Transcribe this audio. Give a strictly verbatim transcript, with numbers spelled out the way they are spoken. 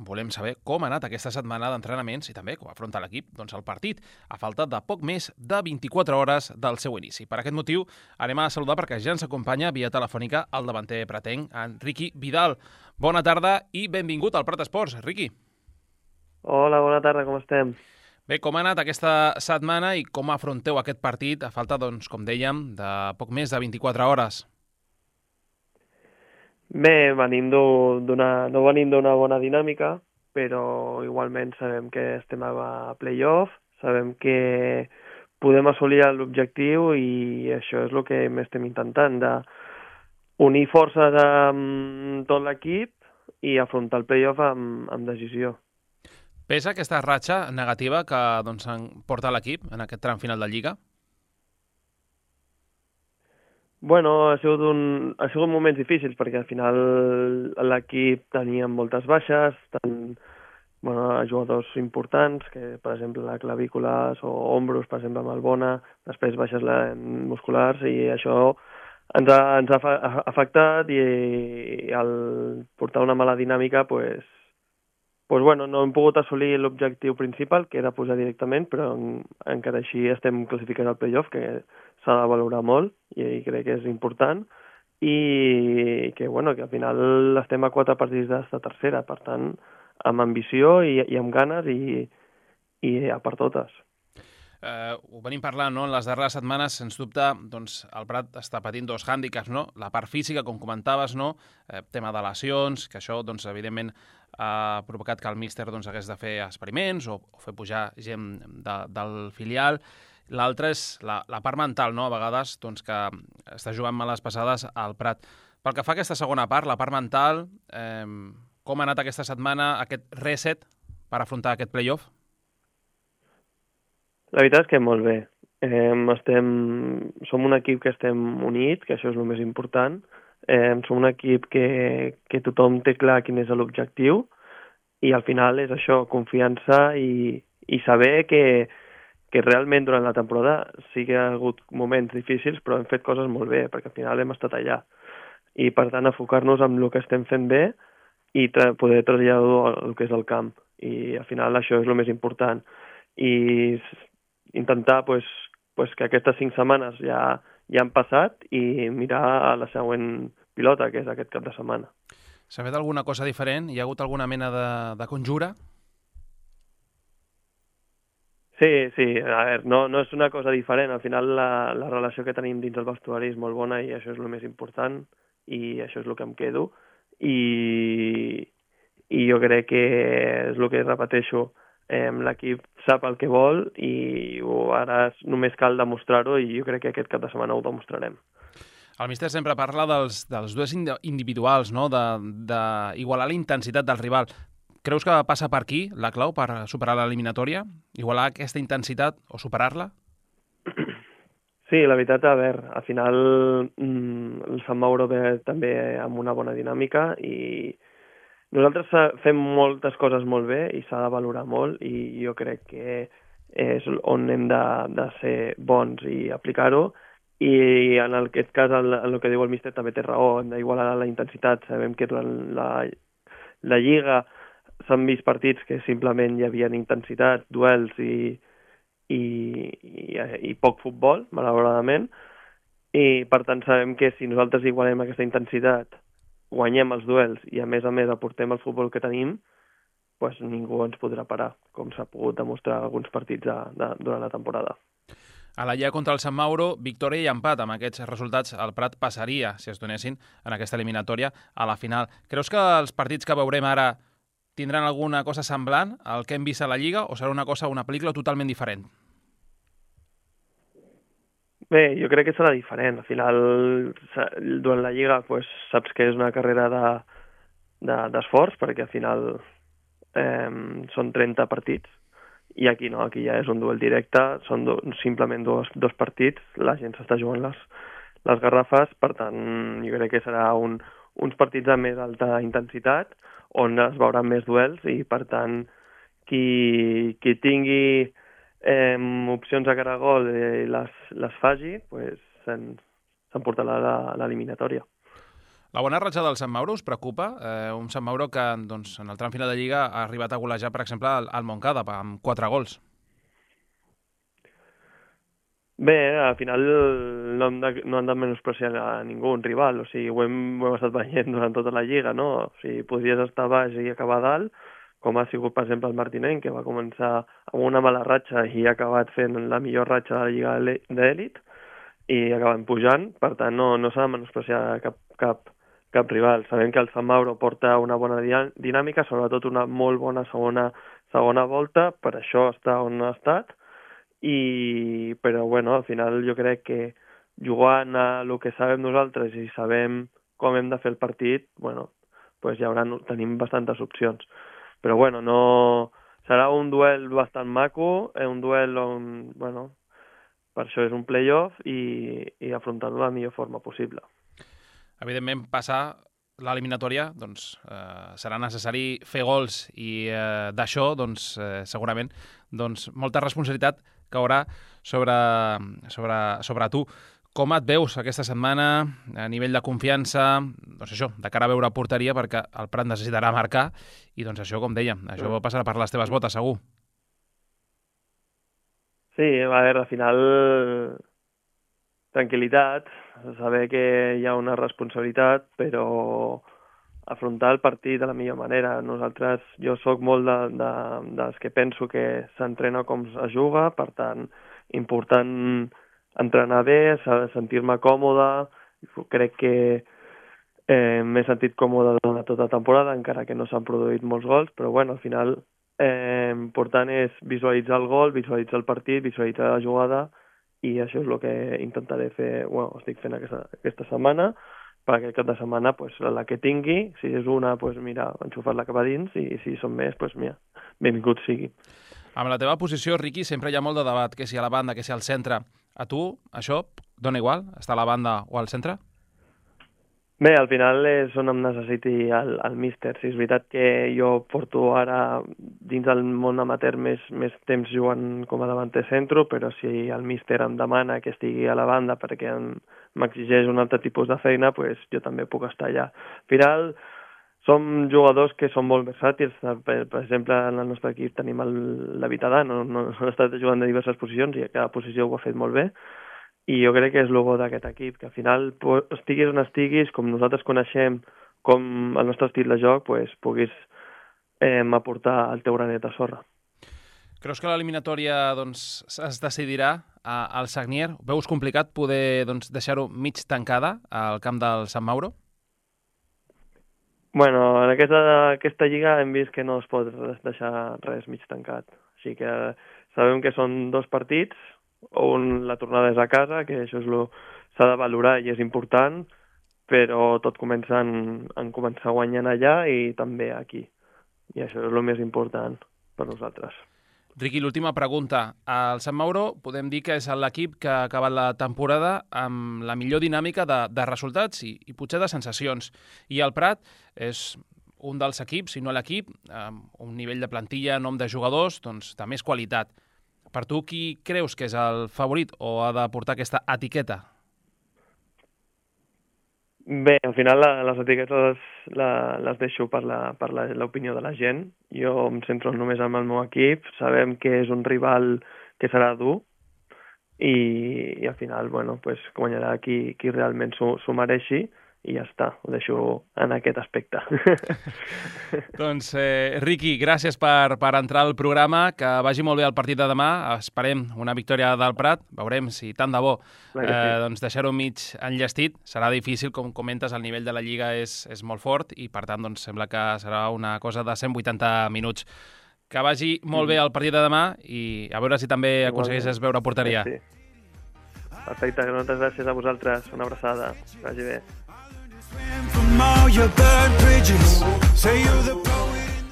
volem saber com ha anat aquesta setmana d'entrenaments i també com afronta l'equip doncs, el partit, a falta de poc més de vint-i-quatre hores del seu inici. Per aquest motiu anem a saludar perquè ja ens acompanya via telefònica el davanter pretenc, en Riqui Vidal. Bona tarda i benvingut al Prat Esports, Riqui. Hola, bona tarda, com estem? Bé, com ha anat aquesta setmana i com afronteu aquest partit a falta, doncs, com dèiem, de poc més de vint-i-quatre hores? Bé, venim d'una, no venim d'una bona dinàmica, però igualment sabem que estem a playoff, sabem que podem assolir l'objectiu i això és el que estem intentant, de unir forces amb tot l'equip i afrontar el playoff amb, amb decisió. Pesa aquesta ratxa negativa que doncs, porta l'equip en aquest tram final de Lliga? Bueno, ha sigut, un, ha sigut moments difícils perquè al final l'equip tenia moltes baixes, tant bueno, jugadors importants, que per exemple la clavícules o ombros, per exemple amb el Bona, després baixes musculars i això ens ha, ens ha afectat i, i al portar una mala dinàmica pues, pues bueno, no hem pogut assolir l'objectiu principal, que era pujar directament, però en, encara així estem classificant al playoff, que s'ha de valorar molt i crec que és important, i que, bueno, que al final estem a quatre partits d'esta tercera, per tant, amb ambició i, i amb ganes i, i a per totes. Uh, ho venim parlant, no? En les darreres setmanes, sens dubte, doncs, el Prat està patint dos hàndicaps, no? La part física, com comentaves, no? Eh, tema de lesions, que això, doncs, evidentment, ha provocat que el míster doncs, hagués de fer experiments o, o fer pujar gent de, del filial. L'altre és la, la part mental, no? A vegades, doncs, que està jugant males passades al Prat. Pel que fa a aquesta segona part, la part mental, eh, com ha anat aquesta setmana, aquest reset per afrontar aquest playoff? La veritat és que molt bé. Eh, estem, som un equip que estem units, que això és el més important. Eh, som un equip que, que tothom té clar quin és l'objectiu i al final és això, confiança i, i saber que, que realment durant la temporada sí que ha hagut moments difícils, però hem fet coses molt bé, perquè al final hem estat allà. I per tant, enfocar-nos en el que estem fent bé i tra poder traslladar el que és el camp. I al final això és el més important. I intentar pues, pues, que aquestes cinc setmanes ja, ja han passat i mirar a la següent pilota, que és aquest cap de setmana. S'ha fet alguna cosa diferent? Hi ha hagut alguna mena de, de conjura? Sí, sí, a veure, no, no és una cosa diferent. Al final la, la relació que tenim dins el vestuari és molt bona i això és el més important i això és el que em quedo. I, i jo crec que és el que repeteixo, eh, l'equip sap el que vol i ara només cal demostrar-ho i jo crec que aquest cap de setmana ho demostrarem. El míster sempre parla dels, dels duels individuals, no? d'igualar la intensitat del rival. Creus que passa per aquí la clau per superar l'eliminatòria? Igualar aquesta intensitat o superar-la? Sí, la veritat, a veure, al final mmm, el Sant Mauro ve també amb una bona dinàmica i nosaltres fem moltes coses molt bé i s'ha de valorar molt i jo crec que és on hem de, de ser bons i aplicar-ho i en aquest cas, en el que diu el míster, també té raó, hem d'igualar la intensitat. Sabem que durant la, la Lliga s'han vist partits que simplement hi havia intensitat, duels i, i, i, i poc futbol, malauradament, i per tant sabem que si nosaltres igualem aquesta intensitat, guanyem els duels i a més a més aportem el futbol que tenim, pues ningú ens podrà parar, com s'ha pogut demostrar alguns partits de, de, durant la temporada. A la Lliga contra el Sant Mauro, victòria i empat. Amb aquests resultats el Prat passaria, si es donessin, en aquesta eliminatòria a la final. Creus que els partits que veurem ara tindran alguna cosa semblant al que hem vist a la Lliga o serà una cosa, una pel·lícula totalment diferent? Bé, jo crec que serà diferent. Al final, durant la Lliga, pues, saps que és una carrera d'esforç, de, de, perquè al final eh, són trenta partits, i aquí no, aquí ja és un duel directe, són do, simplement dos, dos partits, la gent s'està jugant les, les garrafes, per tant, jo crec que serà un, uns partits de més alta intensitat, on es veuran més duels, i per tant, qui, qui tingui Eh, opcions a cara a gol i les, les faci, pues, s'emportarà l'eliminatòria. La bona ratxa del Sant Mauro us preocupa? Eh, un Sant Mauro que doncs, en el tram final de Lliga ha arribat a golejar, per exemple, al, al Montcada amb quatre gols. Bé, al final no hem de, no hem de menospreciar a ningú, un rival, o sigui, ho hem, ho hem estat veient durant tota la Lliga, no? O sigui, podries estar baix i acabar dalt, com ha sigut, per exemple, el Martinenc, que va començar amb una mala ratxa i ha acabat fent la millor ratxa de la Lliga d'Elit i acaben pujant, per tant no, no s'ha de menospreciar cap, cap, cap rival. Sabem que el Sant Mauro porta una bona dinàmica, sobretot una molt bona segona, segona volta, per això està on ha estat, i, però bueno, al final jo crec que jugant a el que sabem nosaltres i sabem com hem de fer el partit, bueno, pues ja haurà, tenim bastantes opcions. Però bueno, no, serà un duel bastant maco, un duel on, bueno, per això és un play-off i, i afrontar-lo de la millor forma possible. Evidentment, passar l'eliminatòria, doncs, eh, serà necessari fer gols i eh, d'això, doncs, eh, segurament, doncs, molta responsabilitat caurà sobre, sobre, sobre tu. Com et veus aquesta setmana a nivell de confiança, doncs això, de cara a veure porteria, perquè el Prat necessitarà marcar, i doncs això, com dèiem, això mm. passarà per les teves botes, segur. Sí, a veure, al final, tranquil·litat, saber que hi ha una responsabilitat, però afrontar el partit de la millor manera. Nosaltres, jo sóc molt de, de, dels que penso que s'entrena com es juga, per tant, important entrenar bé, sentir-me còmode. Crec que eh, m'he sentit còmode durant tota la temporada, encara que no s'han produït molts gols, però bueno, al final eh, important és visualitzar el gol, visualitzar el partit, visualitzar la jugada, i això és el que intentaré fer, bueno, estic fent aquesta, aquesta setmana, perquè aquest cap de setmana, pues, la que tingui, si és una, pues, mira, enxufar-la cap a dins, i si són més, pues, mira, benvingut sigui. Amb la teva posició, Riqui, sempre hi ha molt de debat, que si a la banda, que si al centre. A tu, això, dona igual, estar a la banda o al centre? Bé, al final és on em necessiti el, el míster. Si és veritat que jo porto ara dins del món amateur més, més temps jugant com a davanter centro, però si el míster em demana que estigui a la banda perquè m'exigeix un altre tipus de feina, pues jo també puc estar allà. Al final som jugadors que són molt versàtils. Per, per exemple, en el nostre equip tenim el David Adán, no, no, no ha estat jugant de diverses posicions i a cada posició ho ha fet molt bé. I jo crec que és el bo d'aquest equip, que al final estiguis on estiguis, com nosaltres coneixem com el nostre estil de joc, pues, puguis eh, aportar el teu granet de sorra. Creus que l'eliminatòria doncs, es decidirà al Sagnier? Veus complicat poder doncs, deixar-ho mig tancada al camp del Sant Mauro? Bueno, en aquesta, aquesta lliga hem vist que no es pot deixar res mig tancat. Així que sabem que són dos partits, on la tornada és a casa, que això és lo s'ha de valorar i és important, però tot comença en, en començar guanyant allà i també aquí. I això és el més important per nosaltres. Riqui, l'última pregunta. El Sant Mauro podem dir que és l'equip que ha acabat la temporada amb la millor dinàmica de, de resultats i, i potser de sensacions. I el Prat és un dels equips, si no l'equip, amb un nivell de plantilla, nom de jugadors, doncs, de més qualitat. Per tu, qui creus que és el favorit o ha de portar aquesta etiqueta? Bé, al final les etiquetes les deixo per l'opinió de la gent. Jo em centro només en el meu equip. Sabem que és un rival que serà dur i, i al final, bueno, pues, guanyarà qui, qui realment s'ho mereixi. I ja està, ho deixo en aquest aspecte. Doncs, eh, Riqui, gràcies per, per entrar al programa, que vagi molt bé el partit de demà, esperem una victòria del Prat, veurem si tant de bo eh, doncs deixar-ho mig enllestit, serà difícil, com comentes, el nivell de la Lliga és, és molt fort i per tant doncs, sembla que serà una cosa de cent vuitanta minuts. Que vagi molt bé el partit de demà i a veure si també aconsegueixes veure porteria. Sí. Perfecte, moltes gràcies a vosaltres, una abraçada, que vagi bé. From all your burned bridges, say you're the poet.